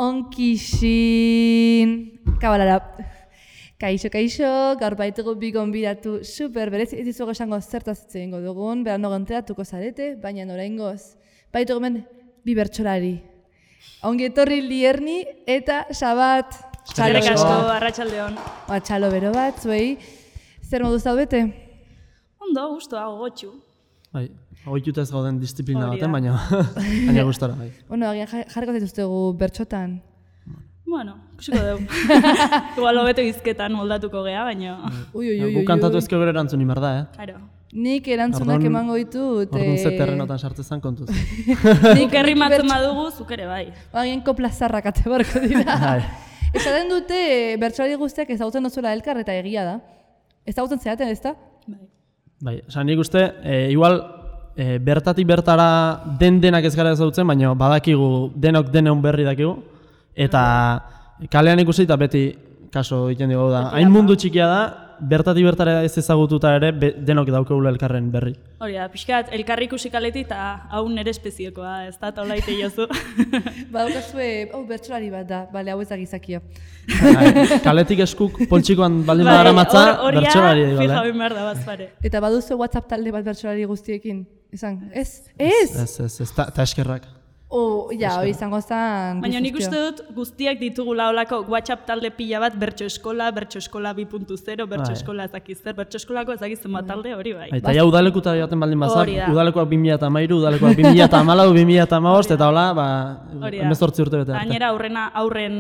Onkixin, kabalara. Kaixo, gaur baitugu bi gonbidatu super berezi, ez dizugu esango zertaz hitz egingo dugun, berandu enteratuko zarete, baina oraingoz baitugu hemen bi bertsolari. Ongi etorri Lierni eta Sabat. Eskerrik asko, arratsaldeon. Txalo bero bat, zuei. Zer moduz zaudete? Ondo, gustoa, gogotsu. Bai, goitutaz gauden disiplina baten, baina gustora, bai. Bueno, agian jarriko zituztegu bertxotan. Bueno, ikusiko dugu. Igual hobeto hizketan moldatuko gea, baina... Gu kantatu ezkio gero erantzun imar da, Claro. Nik erantzunak emango ditut... Orduan ze terrenotan sartzezan kontuz. Nik errimatzen badugu, zuk ere bai. Agian kopla zarrak ate barko dira. Esaten dute bertsolari guztiak ezagutzen dozuela elkar eta egia da. Ezagutzen zeaten, ez da? Bai, esan nik uste, igual bertatik bertara denak ez gara ezagutzen, baina badakigu denok deneun berri dakigu. Eta kalean ikusi eta beti kaso egiten dugu da. Hain mundu txikia da, bertatik bertara ez ezagututa ere denok daukagula elkarren berri. Hori da, pixkat, elkarri ikusi kaleti eta hau nere espeziekoa, ez da, taula ite jozu. Badukazue, bertsolari bat da, bale, hau ez da gizakia. Kaletik eskuk poltsikoan baldin badara matza, bertsolari edo. Fija bin behar da bazpare. Eta baduzu WhatsApp talde bat bertsolari guztiekin? Esan, ez? Ez? Ez, eta eskerrak. Hori izango zen... Baina nik uste dut guztiak ditugula olako WhatsApp talde pila bat bertso eskola 2.0, bertso eskola ezakizzer, bertso eskolako ezakizzen bat talde hori bai. Eta ja udalekuta joaten baldin bazak, udalekoak 2013, udalekoak 2014, 2015, eta hola, 18 urte bete arte. Gainera aurren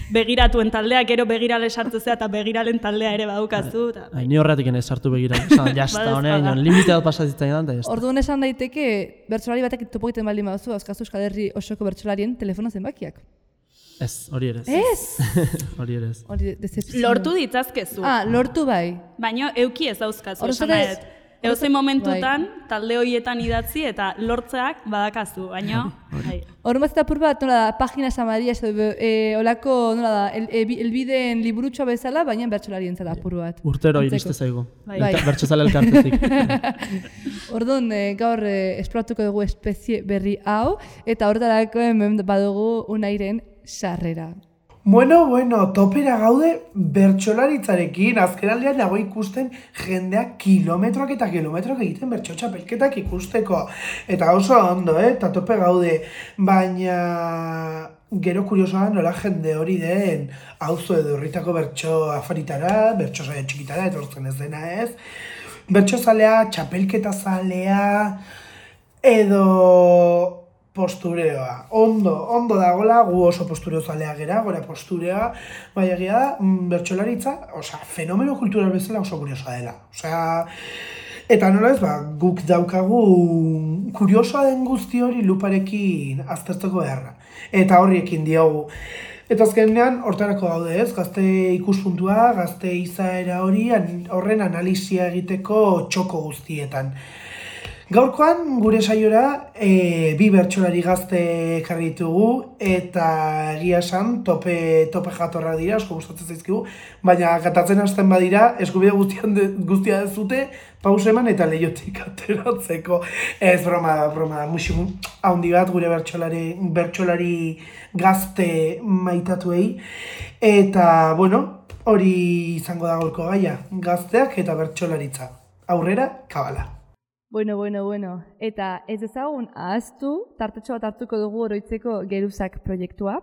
begiratuen taldea, gero begirale sartzezea eta begiralen taldea ere badukazu. Ni horretik ez sartu begirale, jazta honen, limite bat pasazitzen edan, eta jazta. Orduan esan daiteke, bertsolari batek topo egiten baldin baduzu, azkazu Euskal Herri osoko bertsolarien telefono zenbakiak. Ez, hori ere ez. Ez? Hori ere ez. Lortu ditzazkezu. Lortu bai. Baina euki ez dauzkazu, esan nahet. Eusen momentutan, talde horietan idatzi eta lortzeak badakazu, baina... Horren bat eta apur bat, nola da, Pagina Samaria, olako, nola da, elbideen liburutxoa bezala, baina bertsolarien zela apur bat. Urtero iriste zaigu, bertsozale elkartetik. Orduan, gaur esploratuko dugu espezie berri hau, eta horretarako hemen badugu Unairen sarrera. Bueno, topera gaude bertsolaritzarekin, azkenaldean nago ikusten jendeak kilometroak eta kilometroak egiten bertso txapelketak ikusteko. Eta oso ondo, eta tope gaude, baina gero kuriosoa nola jende hori den auzo edo herritako bertso afaritara, bertso saio txikitara, etortzen ez dena ez. Bertso zalea, txapelketa zalea, edo... postureoa. Ondo dagoela, gu oso postureo zalea gera, gora postureoa, bai egia da, bertsolaritza, fenomeno kultural bezala oso kuriosoa dela. Eta nola ez, guk daukagu kuriosoa den guzti hori luparekin aztertzeko beharra. Eta horriekin diogu. Eta azkenean, hortarako gaude ez, gazte ikuspuntua, gazte izaera hori, horren analisia egiteko txoko guztietan. Gaurkoan, gure saiora, bi bertsolari gazte ekarri ditugu eta egia esan tope jatorrak dira, asko gustatzen zaizkigu, baina katatzen hasten badira, eskubide guztia dezute, pausa eman eta leihotik ateratzeko. Ez broma, musu handi bat gure bertsolari gazte maitatuei. Eta, hori izango da gaurko gaia, gazteak eta bertsolaritza. Aurrera, kabala. Bueno. Eta ez ezagun ahaztu, tartetxo bat hartuko dugu oroitzeko Geruzak proiektua.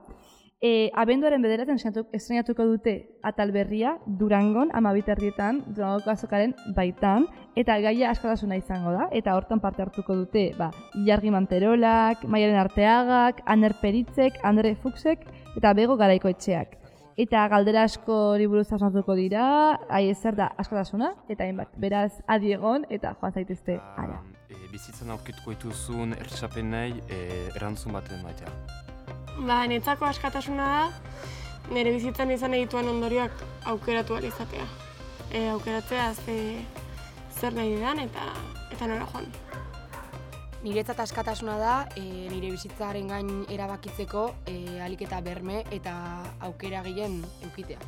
Abenduaren 9 estrenatuko dute atal berria Durangon, 12:00 Durangoko azokaren baitan, eta gaia askatasuna izango da, eta hortan parte hartuko dute Ilargi Manterolak, Maialen Arteagak, Aner Peritzek, Andre Fuchsek eta Bego Garaikoetxeak. Eta galdera asko buruz hausnartuko dira, zer da askatasuna, eta hainbat. Beraz, adi egon eta joan zaitezte ara. Bizitzan aurkituko dituzun ertxapenei erantzun baten maitea. Netzako askatasuna da, nire bizitzan izan egituan ondorioak aukeratu ahal izatea. Aukeratzea zer nahi didan eta nora joan. Niretzat askatasuna da, nire bizitzaren gain erabakitzeko ahalik eta berme eta aukera gehien edukitea.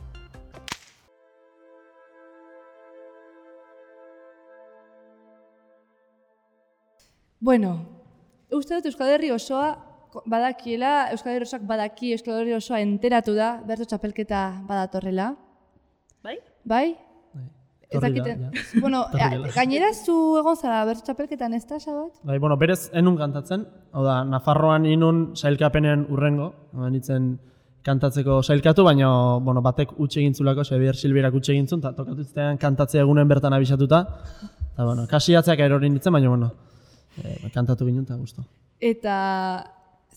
Uste dut Euskal Herri osoa badakiela, Euskal Herri osoak badaki, Euskal Herri osoa enteratu da, bertso txapelketa badatorrela. Bai? Bai? Ez Torri da, dakiten. ja. Bueno, gainera zu egon zara bertso txapelketan ez da, Xabat? Bai, bueno, berez enun kantatzen, hau da, Nafarroan inun sailkapenen urrengo, nintzen kantatzeko sailkatu, baina bueno, batek utxe egintzulako, Xabier Silbierak utxe egintzun, eta tokatu zitean kantatzea egunen bertan abisatuta, eta bueno, kasiatzeak erori nintzen, baina bueno, kantatu ginen eta gustu. Eta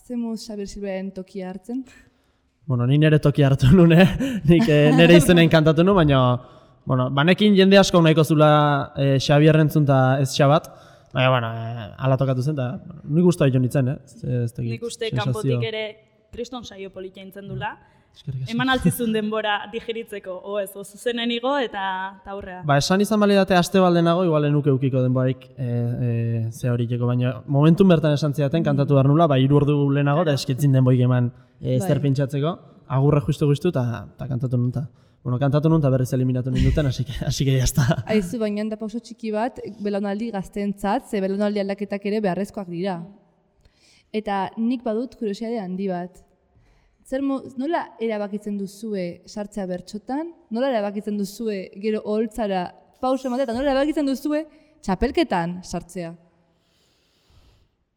zemuz Xabier Silberen tokia hartzen? Bueno, ni nire tokia hartu nuen, nik nire izenen kantatu nuen, baina bueno, banekin jende asko nahiko zula Xabier entzun eta ez Xabat, baina bueno, ala tokatu zen, eta nik guztua jo nintzen, Nik uste kanpotik ere kriston saio politia intzen dula. Eman altzizun denbora digeritzeko, ez, zuzenen igo eta aurrea. Ba, esan izan balidate aste baldenago, igual enuke eukiko denborarik ze horikeko, baina momentun bertan esan zidaten kantatu behar nula, 3 ordu lehenago, eta eskitzin denboik eman zer pintxatzeko, agurre justu eta kantatu nun. Bueno, kantatu nun eta berriz eliminatu ninduten, así que jazta. Aizu, baina da pauso txiki bat, belaunaldi gazteentzat, ze belaunaldi aldaketak ere beharrezkoak dira. Eta nik badut kuriositate handi bat. Nola erabakitzen duzue sartzea bertsotan? Nola erabakitzen duzue gero oholtzara pauso ematea? Eta nola erabakitzen duzue txapelketan sartzea?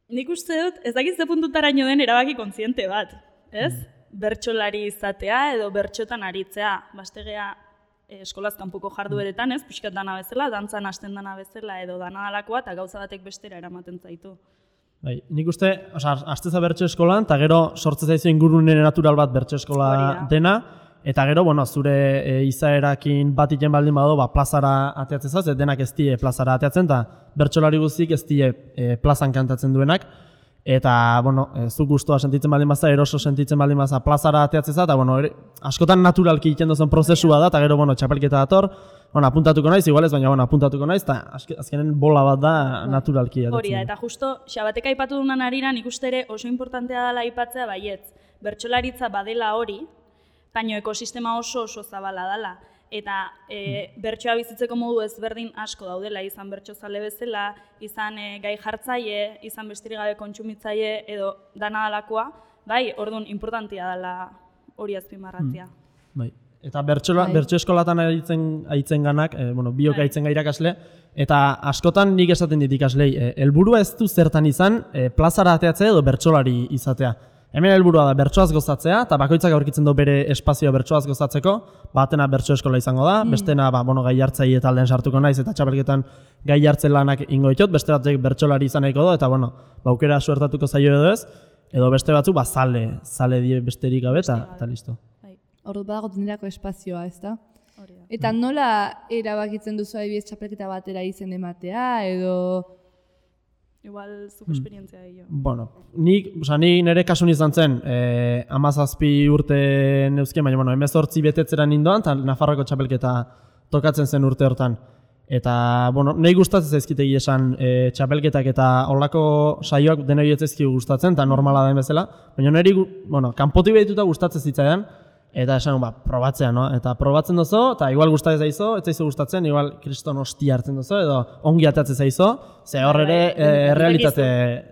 Nik uste dut, ez dakit ze puntutaraino den erabaki kontziente bat, ez? Bertsolari izatea edo bertsotan aritzea. Bastegea eskolaz kanpoko jardueretan, ez? Pixkat dana bezala, dantzan hasten dana bezala edo dana dalakoa eta gauza batek bestera eramaten zaitu. Bai, nik uste, hasteza bertso eskolan, eta gero sortze zaizu ingurune natural bat bertso eskola dena, eta gero, bueno, zure izaerakin bat iten baldin bado, plazara ateatzen zaz, denak ez die plazara ateatzen, eta bertsolari guztik ez die plazan kantatzen duenak, eta, bueno, zuk gustoa sentitzen baldin baza, eroso sentitzen baldin baza, plazara ateatzen zaz, eta, bueno, askotan naturalki egiten dozen prozesua da, eta gero, bueno, txapelketa dator, bueno, apuntatuko naiz, igual ez, baina bueno, apuntatuko naiz, eta azkenen bola bat da naturalki. Hori da, eta justo, Xabatek aipatu dunan harira, nik uste ere oso importantea dela aipatzea baietz. Bertsolaritza badela hori, baina ekosistema oso zabala dela. Eta bertsoa bizitzeko modu ezberdin asko daudela, izan bertsozale bezala, izan gai jartzaile, izan besterik gabe kontsumitzaile edo dana dalakoa, bai, orduan importantea dela hori azpimarratzea. Bai. Eta bertso eskolatan aitzen ganak, biok aitzen ga irakasle, eta askotan nik esaten dit ikaslei, helburua ez du zertan izan plazara ateatzea edo bertsolari izatea. Hemen helburua da bertsoaz gozatzea, eta bakoitzak aurkitzen du bere espazioa bertsoaz gozatzeko, batena bertso eskola izango da, bestena gai hartzaile taldean sartuko naiz, eta txapelketan gai hartzen lanak ingo ditot, beste batzuk bertsolari izan nahiko du, eta aukera suertatuko zaio edo ez, edo beste batzuk zale die besterik gabe, eta listo. Ordu badago nirako espazioa, ez da? Eta nola erabakitzen duzu adibidez txapelketa batera izen ematea, edo... Igual zuk esperientzia gehiago. Bueno, nik nire kasun izan zen, 17 urte neuzken, baina 18 betetzera nindoan, eta Nafarroko txapelketa tokatzen zen urte hortan. Eta, nahi gustatzen zaizkitegi esan txapelketak eta holako saioak denoi ez zaizkigu gustatzen, eta normala den bezala, baina niri, kanpotik behituta gustatzen zitzaidan, eta esan, probatzea, no? Eta probatzen dozo, eta igual gustatzen zaizo, ez zaizu gustatzen, igual kriston hostia hartzen dozo, edo ongi atatzen zaizo, ze hor ere errealitate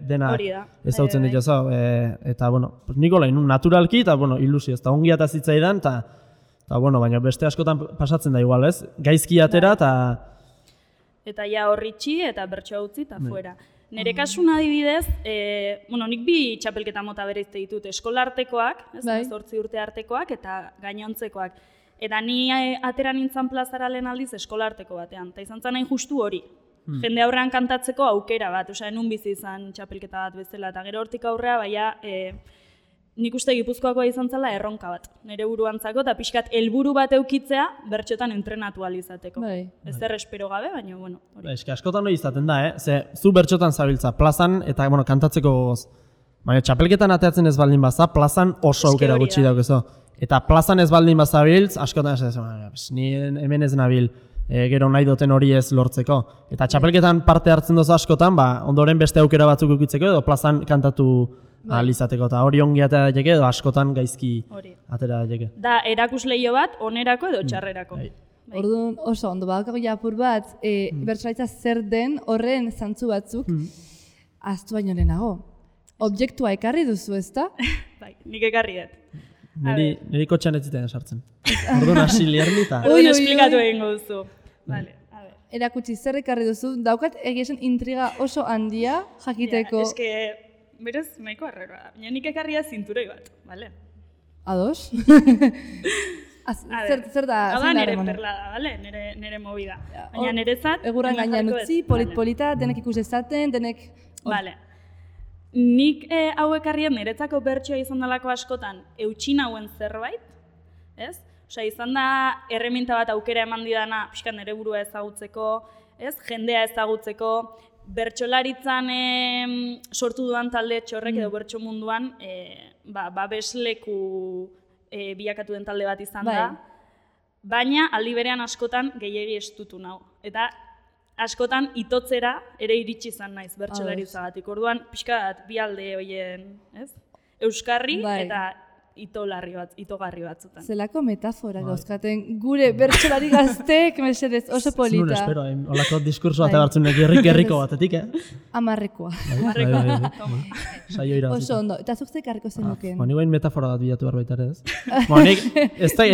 denak ezautzen dituzo. Eta, niko lain, naturalki, eta, ilusio, eta ongi atazitzaidan, eta, baina beste askotan pasatzen da igual, ez? Gaizki atera, eta ja horritxi, eta bertsoa utzi, eta fuera. Nire kasun adibidez, nik 2 txapelketa mota bereizte ditut, eskolartekoak, 18 urte artekoak eta gainontzekoak. Eta ni atera nintzen plazara lehen aldiz eskolarteko batean, eta izan zen hain justu hori. Jende aurrean kantatzeko aukera bat, enun bizi izan txapelketa bat bezala, eta gero hortik aurrea, baina nik uste Gipuzkoakoa izan zela erronka bat, nire buruantzako, eta pixkat helburu bat eukitzea bertxotan entrenatu alizateko. Ez espero gabe, baina, hori. Eske askotan hori izaten da, zu bertxotan zabiltza, plazan eta kantatzeko gogoz. Baina txapelketan ateatzen ez baldin baza, plazan oso aukera gutxi daukezo. Eta plazan ez baldin bazabiltz, askotan ni hemen ez nabil, gero nahi duten hori ez lortzeko. Eta txapelketan parte hartzen dozu askotan, ondoren beste aukera batzuk eukitzeko edo plazan kantatu alizateko, eta hori ongi atera daiteke edo askotan gaizki atera daiteke. Da, erakusleio bat, onerako edo txarrerako. Orduan oso ondo, badakago apur bat, bertsolaritza zer den horren zantzu batzuk ahaztu baino lehenago. objektua ekarri duzu, ezta? Bai, nik ekarri dut. Niri kotxean ez zitean sartzen. Orduan hasi lierni eta... Orduan esplikatu egingo duzu. Vale, a ver. Erakutsi zer ekarri duzu, daukat egiesen intriga oso handia jakiteko. Ja, berez, nahiko arreroa. Baina nik ekarria zinturoi bat, bale? Ados? Zer da? Hau da nire perlada, bale? Nire movida. Baina nirezat... Egurran gainean utzi, polit-polita, denek ikus ezaten, denek... Bale. Nik hau ekarrien niretzako bertsoa izan dalako askotan eutxin hauen zerbait, ez? Osea, izan da erreminta bat aukera eman didana pixkat nire burua ezagutzeko, ez? Jendea ezagutzeko, bertsolaritzan sortu dudan talde txorrek edo bertso munduan babesleku bilakatu den talde bat izan da, baina aldi berean askotan gehiegi estutu nau. Eta askotan itotzera ere iritsi izan naiz bertsolaritzagatik. Orduan pixkat bi alde hoien, ez? Euskarri eta itogarri batzutan. Zelako metafora dauzkaten gure bertsolari gazteek mesedez oso polita. Zun espero, holako diskurso bat egartzen gerriko batetik, Amarrekoa. Saio irabazik. Oso ondo, eta zuk zekarriko zenukeen. Ni guain metafora bat bilatu behar baita ere, ez? Nik, ez da,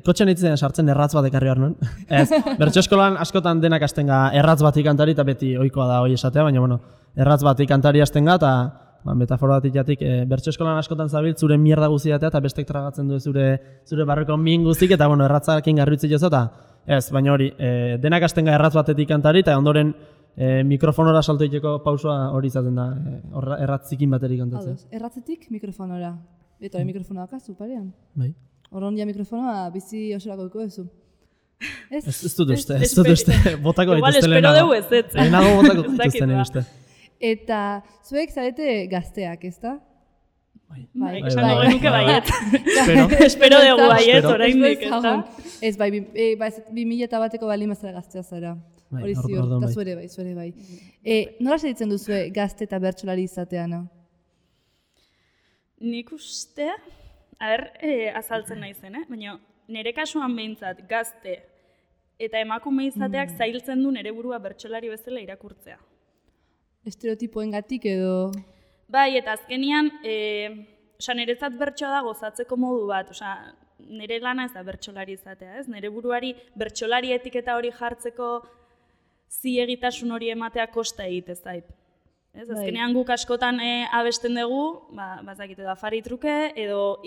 kotxean itzen sartzen erratz bat ekarri behar nuen. Ez, bertso eskolan askotan denak astenga erratz bat ikantari eta beti ohikoa da hoi esatea, baina, erratz bat ikantari astenga eta metafora bat ikatik, bertso eskolan askotan zabilt zure mierda guziatea eta bestek tragatzen du zure barreko min guzik eta erratzarekin garritzi jozo eta ez, baina hori, denak astenga erratz batetik kantari eta ondoren mikrofonora salto iteko pausua hori izaten da, erratzikin baterik kantatzen. Erratzetik mikrofonora. Eta mikrofonoa kazu parean. Bai. Horron ja mikrofonoa bizi osorako duko duzu. Ez dut uste, botako dituzte lehenago. Igual espero dugu ez. Lehenago botako dituzte nire uste. Eta zuek zarete gazteak, ezta? Bai, esan dugu nuke baiet. Espero dugu baiet, oraindik, ezta? Ez, bai, 2001eko bali mazara gaztea zara. Hori ziur, eta zuere bai. Nola segitzen duzue gazte eta bertsolari izateana? Nik uste, azaltzen naizen, baina nire kasuan behintzat gazte eta emakume izateak zailtzen du nire burua bertsolari bezala irakurtzea. Estereotipoengatik edo... Bai, eta azkenian, niretzat bertsoa da gozatzeko modu bat, nire lana ez da bertsolari izatea, ez? Nire buruari bertsolari etiketa hori jartzeko ziegitasun hori ematea kosta egite zait. Ez, azkenean guk askotan abesten dugu, bazakite da afari truke, edo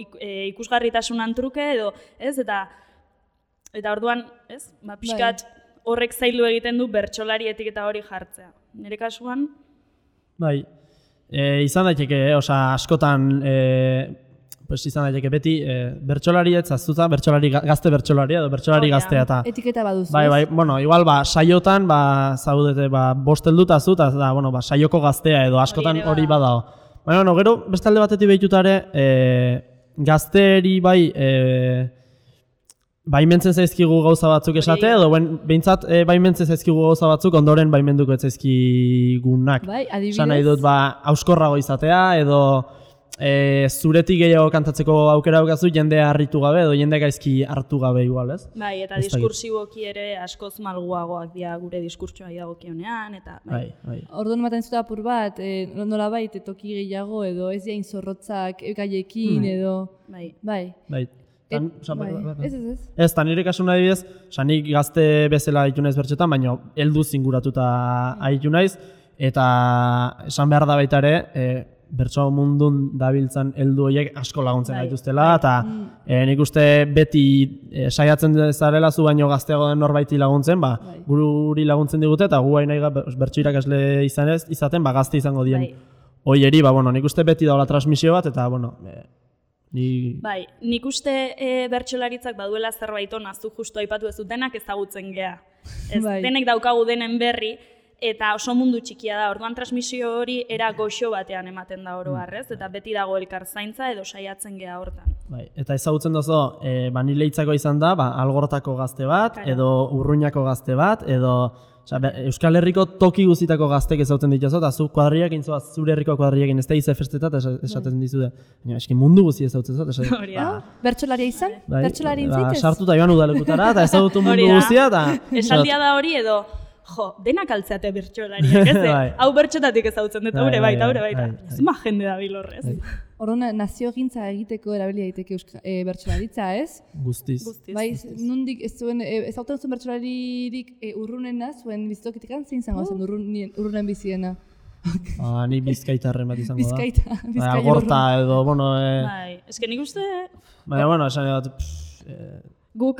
ikusgarritasunan truke, edo, ez? Eta orduan, ez? Pixkat horrek zaildu egiten du bertsolari etiketa hori jartzea. Nire kasuan... Bai, izan daiteke, askotan, izan daiteke beti, bertsolari ez aztuta, gazte bertsolaria edo bertsolari gaztea eta... Etiketa baduzu. Bai, igual, saiotan, zaudete, bost helduta zu, eta, saioko gaztea edo askotan hori badao. Baina, gero, beste alde batetik behituta ere, gazteri bai, baimentzen zaizkigu gauza batzuk esate, edo behintzat baimentzen zaizkigu gauza batzuk ondoren baimenduko ez zaizkigunak. Bai, adibidez. Esan nahi dut, hauskorrago izatea, edo zuretik gehiago kantatzeko aukera daukazu jendea harritu gabe, edo jende gaizki hartu gabe igual, ez? Bai, eta diskursiboki ere askoz malguagoak dira gure diskurtsoa dagokionean, eta... Bai. Orduan ematen zuta apur bat, nolabait toki gehiago, edo ez jain zorrotzak gaiekin, edo... Bai. Ez, eta nire kasu nahi bidez, nik gazte bezala haitu naiz bertxetan, baina helduz inguratuta haitu naiz, eta esan behar da baita ere, bertso mundun dabiltzan heldu horiek asko laguntzen gaituztela, eta nik uste beti saiatzen zarela zu baino gazteago den norbaiti laguntzen, guri laguntzen digute, eta gu hain nahi bertso irakasle izaten, gazte izango dien hoieri, nik uste beti daula transmisio bat, eta, Bai, nik uste bertsolaritzak baduela zerbait ona, zu justu aipatu ez denak ezagutzen gea. Denek daukagu denen berri, eta oso mundu txikia da, orduan transmisio hori era goxo batean ematen da oro harrez, eta beti dago elkar zaintza edo saiatzen gea hortan. Eta ezagutzen dozo, nire hitzako izan da, Algortako gazte bat, edo Urruñako gazte bat, edo Euskal Herriko toki guztitako gaztek ezagutzen dituzu, eta zu kuadriakin zoaz, zure herriko kuadriakin ez da izefestetat esaten dizude. Eski mundu guzti ezagutzen zut. Bertsolaria izan? Bertsolari intzaitez? Sartuta joan udalekutara, eta ezagutu mundu guztia, eta... Esaldia da hori edo, denak altzeate bertsolariak, ez? Hau bertxotatik ezagutzen dut, haure baita. Zuma jende da bilorrez. Orduan, naziogintza egiteko erabili daiteke bertsolaritza, ez? Guztiz. Bai, nondik ez zuen, ezagutzen zuen bertsolaririk urrunena, zuen bizitokitikan zein zango zen urrunen biziena? Ni bizkaitarren bat izango da. Bizkaia Gorta edo, bueno... Eske nik uste... Baina, bueno, esan bat... Guk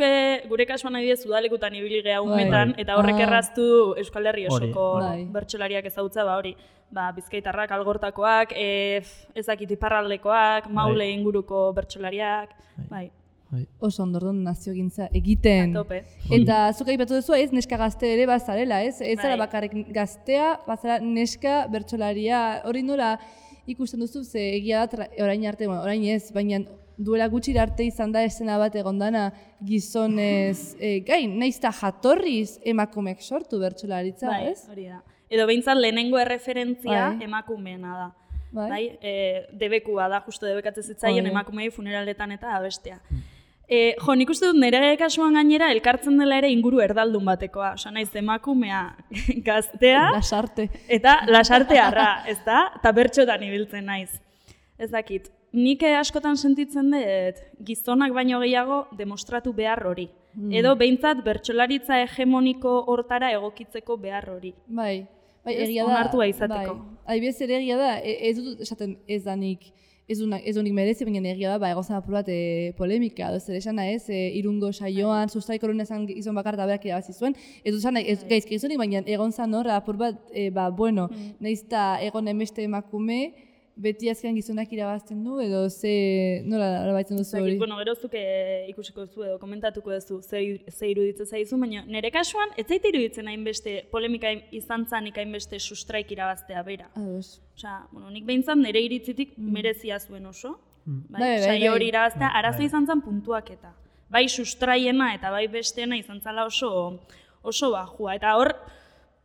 gure kasuan adibidez udalekutan ibili geha umetan, eta horrek erraztu Euskal Herri osoko bertsolariak ezagutza, hori. Bizkaitarrak, algortakoak, ezakit iparraldekoak, maule inguruko bertsolariak, bai. Oso ondordon naziogintza egiten. Tope. Eta zuk aipatu duzu ez neska gazte ere bazarela, ez? Ez zara bakarrik gaztea, bazara neska bertsolaria. Hori nola ikusten duzu, ze egia da orain arte, orain ez, baina duela gutxi arte izan da esena bat egondana gizonez gain, nahiz eta jatorriz emakumeak sortu bertsolaritza, ez? Bai, hori da. Edo behintzat lehenengo erreferentzia emakumeena da. Bai, debekua da, justo debekatzen zitzaien emakumei funeraletan eta abestea. Nik uste dut nire kasuan gainera elkartzen dela ere inguru erdaldun batekoa. Osa naiz emakumea gaztea lasarte. Eta lasartearra, ez da? Eta bertxotan ibiltzen naiz. Ez dakit. Nik askotan sentitzen dut gizonak baino gehiago demostratu behar hori. Edo behintzat bertsolaritza hegemoniko hortara egokitzeko behar hori. Bai, egia da. Onartua izateko. Adibidez ere egia da, ez dut esaten ez danik, ez dunik merezi, baina egia da, egozan apur bat polemika, edo zer esana ez, Irungo saioan, sustraiko horren esan gizon bakar da berak irabazi zuen, ez dut esan gaizki gizonik, baina egon zan hor, apur bat, bueno, nahiz eta egon emeste emakume, beti azkean gizonak irabazten du, edo nola baitzen duzu hori? Bueno, gero zuke ikusiko duzu edo komentatuko duzu ze iruditzen zaizu, baina nire kasuan ez zait iruditzen hainbeste polemika izan zanik hainbeste sustraik irabaztea bera. Osea, nik behintzat nire iritzitik merezia zuen oso, saio hori irabaztea, arazo izan zen puntuaketa. Bai sustraiena eta bai besteena izan zala oso bajua, eta hor,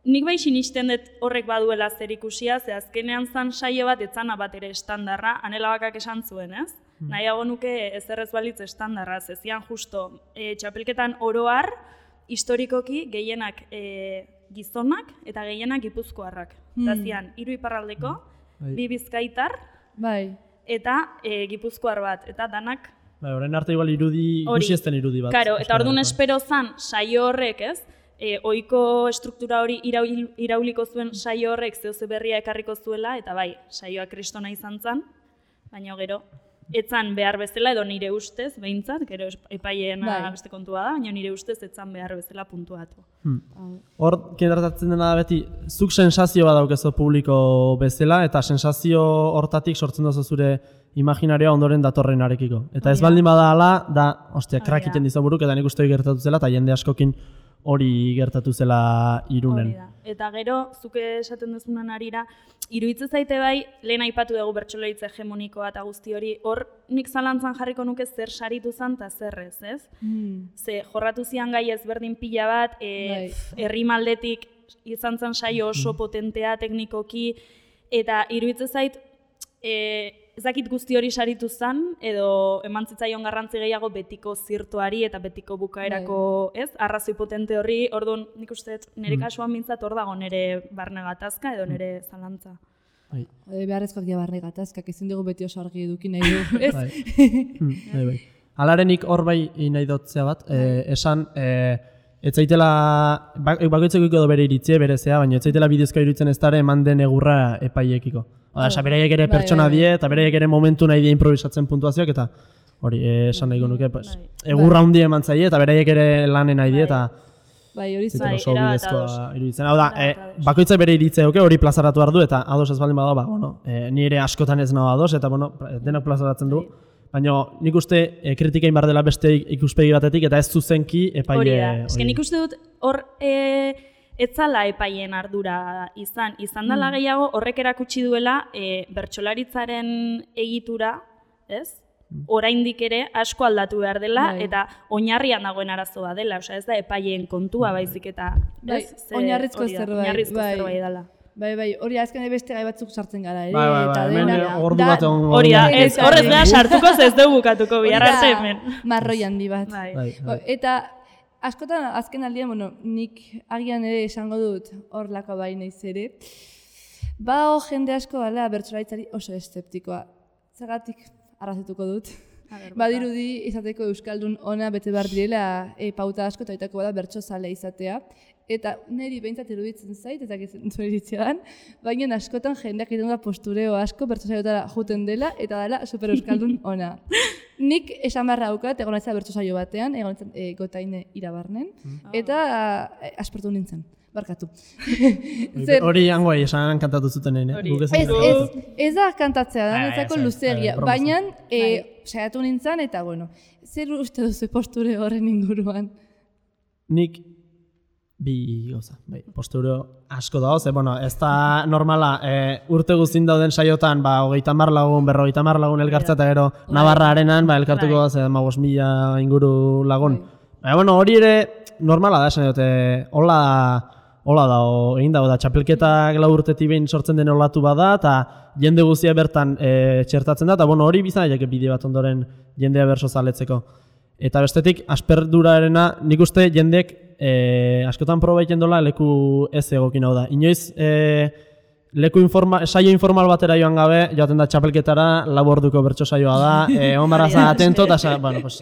nik bai sinisten dut horrek baduela zer ikusia, ze azkenean zan saio bat etzana bat ere estandarra, Anela Bakak esan zuen, ez? Nahiago nuke ezerrez balitz estandarra, zezian justo txapelketan oroar, historikoki gehienak gizonak eta gehienak gipuzkoarrak. Eta zian, 3 iparraldeko, 2 bizkaitar, eta gipuzkoar bat, eta danak... Horren arte igual ikusi ezten irudi bat. Karo, eta orduan espero zan saio horrek, ez? Ohiko estruktura hori irauliko zuen saio horrek zehose berria ekarriko zuela, eta bai, saioa kristona izan zen, baina gero, etzan behar bezala, edo nire ustez, behintzat, gero epaileena beste kontua da, baina nire ustez etzan behar bezala puntuatu. Hor, kendartatzen dena da beti, zuk sensazio bat daukezu publiko bezala, eta sensazio hortatik sortzen duzu zure imaginarioa ondoren datorrenarekiko. Eta ez baldin bada ala, da, ostia, krak iten dizaburuk, eta nik uste gertatu zela, eta jende askokin hori gertatu zela Irunen. Eta gero, zuke esaten duzunan arira, iruditzen zaite bai, lehen aipatu dugu bertsolaritza hegemonikoa eta guzti hori, hor nik zalantzan jarriko nuke zer saritu zan eta zerrez, ez? Ze jorratu zian gai ezberdin pila bat, herrimaldetik izan zan saio oso potentea teknikoki, eta iruditzen zait, ezakit guzti hori saritu zen, edo eman zitzaion garrantzi gehiago betiko zirtuari eta betiko bukaerako, ez? Arrazoi potente horri, orduan nik uste nire kasuan mintzat hor dago nire barne gatazka edo nire zalantza. Beharrezkoak dira barne gatazkak, ezin dugu beti oso argi eduki nahi du, ez? Alarenik hor bai nahi dotzea bat, esan, ez zaitela, bakoitzeko edo bere iritzie, berezea, baina ez zaitela bidezkoa iruditzen ez dara eman den egurra epaiekiko. Oda, beraiek ere pertsona die, eta beraiek ere momentu nahi die improvisatzen puntuazioak, eta hori, esan nahi nuke, egurra hundi eman zaie, eta beraiek ere lanen nahi die, eta oso bidezkoa iruditzen. Hau da, bakoitzak bere iritzea hori plazaratu behar du, eta ados ez baldin badago, ni ere askotan ez nago ados, eta denok plazaratzen du. Baina nik uste kritikein behar dela beste ikuspegi batetik, eta ez zuzenki epaile... Hori nik uste dut hor etzala epaien ardura izan dela gehiago horrek erakutsi duela bertsolaritzaren egitura, ez? Oraindik ere asko aldatu behar dela eta oinarrian dagoen arazoa dela, osea ez da epaileen kontua baizik eta oinarrizko zerbait dela. Bai, hori azken beste gai batzuk sartzen gara ere. Ordu bat hori da, horrez da sartuko ez dugu bukatuko bihar arte hemen. Marroi handi bat. Eta askotan azken aldean, nik agian ere esango dut horlako bai naiz ere, jende asko dela bertsolaritzari oso eszeptikoa. Zergatik arrazetuko dut. Badirudi izateko euskaldun ona bete behar direla pauta asko eta aitako bada bertsozale izatea. Eta niri behintzat iruditzen zait, eta zure iritzia dan, baina askotan jendeak egiten da postureo asko bertsozaiotara juten dela eta dela super euskaldun ona. Nik esan beharra daukat, egon nahiza bertsosaio batean, egon nahiza Gotaine Irabarnen, eta aspertu nintzen. Barkatu. Hori hangoai esan kantatu zuten Ez da kantatzea da, netzako luzegia. Baina, saiatu nintzen, eta bueno, zer uste duzu posture horren inguruan? Nik bi gauza, postureo asko dago, ez da normala, urte guztin dauden saiotan, 30 lagun, 50 lagun elkartza eta gero Navarra arenan, elkartuko da, 5.000 inguru lagun. Hori ere normala da, esan dute, hola da, egin dago da, txapelketak 4 urtetik behin sortzen den olatu bada, eta jende guztia bertan txertatzen da, eta hori bizan daiteke bide bat ondoren jendea berso zaletzeko. Eta bestetik, asperturarena, nik uste jendek askotan proba egiten dola leku ez egokin hau da. Inoiz, saio informal batera joan gabe, joaten da txapelketara, 4 orduko bertso saioa da, egon barra atento, eta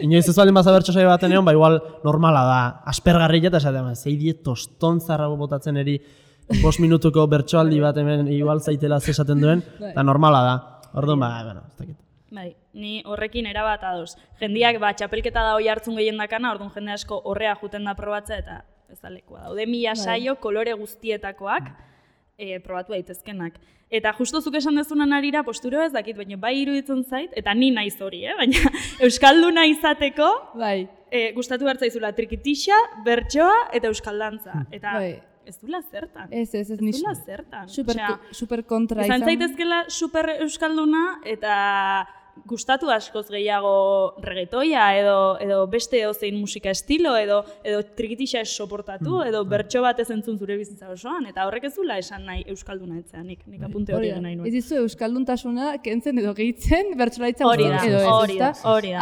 inoiz ez baldin baza bertso saio baten egon, igual normala da, aspergarri eta esaten, zeidie toston zarra botatzen eri 5 minutuko bertsoaldi bat hemen igual zaitela zesaten duen, eta normala da. Orduan, ez dakit. Bai, ni horrekin erabat ados. Jendiak txapelketa da hoi hartzun gehien dakana, orduan jende asko horrea juten da probatzea eta ez da lekua. Daude 1000 saio kolore guztietakoak probatu daitezkenak. Eta justo zuk esan dezunan arira postureo ez dakit, baina bai iruditzen zait, eta ni naiz hori, baina euskalduna izateko gustatu behar zaizula trikitixa, bertsoa eta euskaldantza. Eta ez duela zertan. Ez duela zertan. Super kontra izan. Izan zaitezkela super euskalduna eta gustatu askoz gehiago reggaetoia edo beste edozein musika estilo edo trikitixa ez soportatu edo bertso bat ez entzun zure bizitza osoan eta horrek ez duela esan nahi euskalduna etzea, nik apunte hori nahi nuen. Ez dizu euskalduntasuna kentzen edo gehitzen bertsolaritza hori da.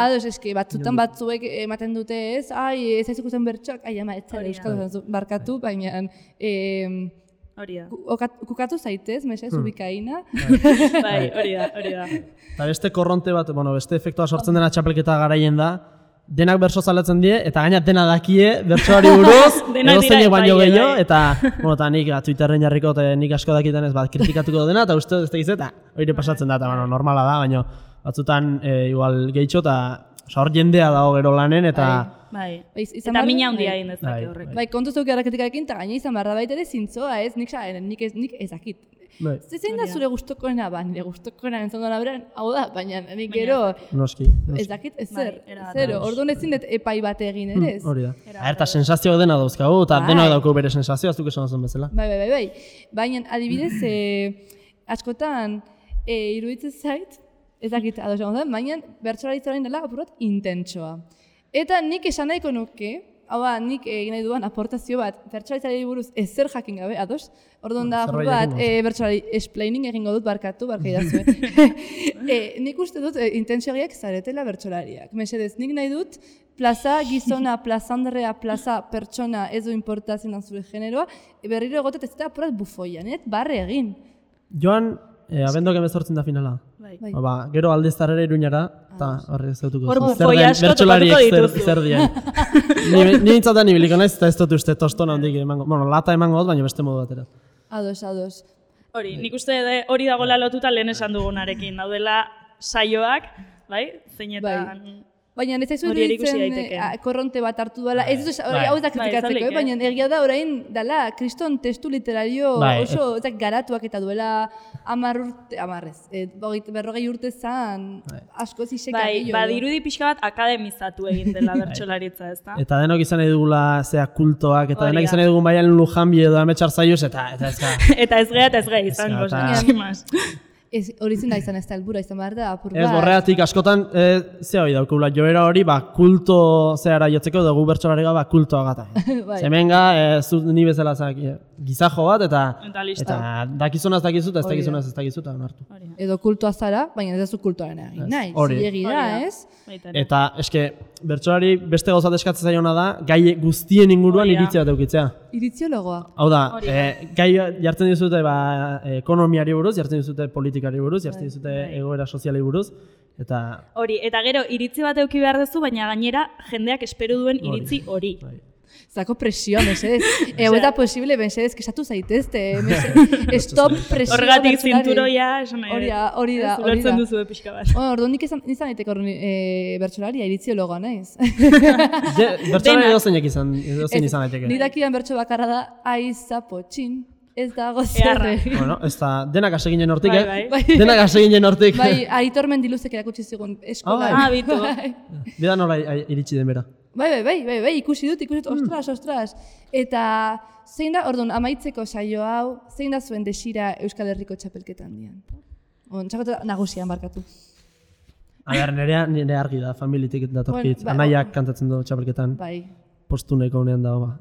Ados, eski, batzutan batzuek ematen dute ez, ez ikusten bertsoak, ama, ez zara euskaldun barkatu, baina kukatu zaitez, mesez, ubikaina. Bai, hori da. Eta beste korronte bat, beste efektua sortzen dena txapelketa garaien da, denak berso zaletzen die, eta gaina dena dakie bertsoari buruz, edo zeinek baino gehiago, eta nik Twitterren jarriko, nik asko dakiten ez kritikatuko dena, eta uste ez tegiz, eta hori pasatzen da, eta normala da, baina batzutan igual gehitxo, eta hor jendea dago gero lanen, eta... Eta mina handia egin dezake horrek. Kontu zeuki arraketikarekin, eta gaina izan barra baita ere zintzoa ez, nik ezakit. Zein da zure gustokoena nire gustokoena entzondoan aberan, hau da, baina nik gero ez dakit ez zero, orduan ezin dut epai bat egin ere ez. Hori da. Eta sensazioak dena dauzkagu, eta dena dauko bere sensazioa, aztuk esan zen bezala. Bai. Baina adibidez, askotan iruditzen zait, ez dakit ados egon da, baina bertsolaritzaren dela apurot intentsoa. Eta nik esan nahiko nuke, hau da, nik egin nahi duan aportazio bat, bertsolaritzari buruz ezer jakin gabe, ados? Orduan da, apur bat, bertsolari explaining egingo dut barkatu idazue. Nik uste dut intentsioak zaretela bertsolariak. Mesedez, nik nahi dut, plaza gizona, plaza andrea, plaza pertsona ez du importazien dan zure generoa, berriro egotet ez da apurat bufoian, barre egin. Joan, abendoak emezortzen da finala. Gero aldeztarera Iruñara, eta horre ez dutuko. Hor bufoi asko topatuko dituzu. Zer dien. Ni bintzatan nibiliko naiz, eta ez dut uste tostona handik emango. Lata emango dut, baina beste modu batera. Ados. Hori, nik uste hori dagoela lotuta lehen esan dugunarekin. Daudela saioak, zeinetan... Baina ez zaizu iruditzen korronte bat hartu duela, ez dut hau ez da kritikatzeko, baina egia da orain dela kriston testu literario oso garatuak eta duela 40 urte zan asko ziseka gehiago. Badirudi pixka bat akademizatu egin dela bertsolaritza, ez da? Eta denok izan edugula kultoak, eta denok izan edugun baian Lujanbi edo Ametxar Zaiuz, eta ez ga. Eta ez geha, izango, Hori zin da izan ez da helbura izan behar da, apur bat. Ez, borreatik askotan, ze hori daukula, joera hori, kulto zehara jotzeko dugu bertsolari gaba kultoa gata. Bai. Zemenga, zu ni bezala gizajo bat, Eta listo. eta dakizunaz dakizu, eta ez dakizunaz ez dakizu, eta onartu. Edo kultua zara, baina ez duzu kultuaren egin nahi. Hori. Zilegi da, ez? Eta, eske, bertsolari beste gauzat eskatzen zaiona da, gai guztien inguruan Hori da. iritzi bat eukitzea. Iriziologoa. Hau da, Hori da. gai jartzen dizute ekonomiari buruz, jartzen dizute politikari buruz, jartzen dizute egoera soziali buruz, eta... Hori, eta gero iritzi bat eduki behar duzu, baina gainera jendeak espero duen iritzi hori. Zako presioa, mesedez. Ego eta posible, mesedez, kesatu zaitezte. Stop presioa. Horregatik zinturoia, esan nahi. Hori da. Zulertzen duzu pixka bat. Orduan nik izan daiteko bertsolaria, iriziologoa naiz. Bertsolari edozeinek izan daiteke. Nik dakidan bertso bakarra da, aiza potxin. Ez dago zerre. Bueno, ez da, denak hase ginen hortik, Bai. Denak hase ginen hortik. Bai, Aitor Mendiluzek erakutsi zigun eskola. Bitu. Bida nola iritsi den bera. Bai, ikusi dut, ostras. Eta zein da, orduan, amaitzeko saio hau, zein da zuen desira Euskal Herriko txapelketan dian? Txapelketa nagusian barkatu. Nire argi da, familitik datorkit. Anaiak kantatzen du txapelketan. Bai. Postuneko honean dago,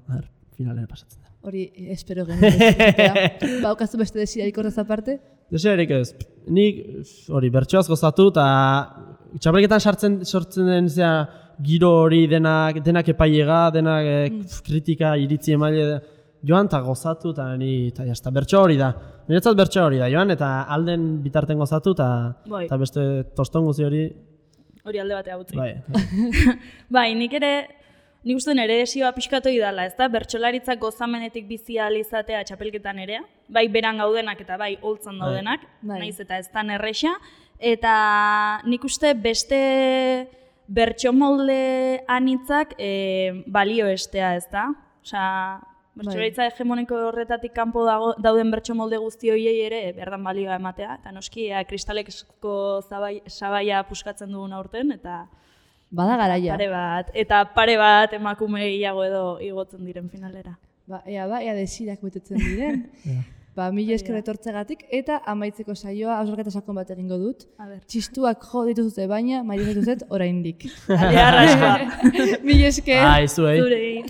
finalera pasatzen da. Hori, espero genuen. Baukazu beste desirarik horrez aparte? Desirarik ez. Nik, hori, bertsoaz gozatu, eta txapelketan sortzen den giro hori denak epailega, denak kritika, iritzi emaile, joan eta gozatu, eta bertso hori da. Niretzat bertso hori da, joan, eta alden bitarten gozatu, eta beste toston guzi hori... Hori alde batea utzi. Bai, nik uste nire desioa pixkatu idala, ez da? Bertsolaritzak gozamenetik bizi ahal izatea txapelketan ere, bai beran gaudenak eta bai holtzan daudenak, naiz eta ez tan erresa, eta nik uste beste bertsomolde anitzak balio estea, ez da? Osea, bertsolaritza hegemoniko horretatik kanpo dauden bertsomolde guzti horiei ere berdan balioa ematea, eta noski kristalezko sabaia puskatzen dugun aurten, eta bada garaia. Pare bat emakume gehiago edo igotzen diren finalera. Ea desirak betetzen diren. Mila esker etortzegatik, eta amaitzeko saioa hausnarketa sakon bat egingo dut. Txistuak jo dituzute baina, maia dituzet oraindik. Arraskoa. Mila esker. Zuei.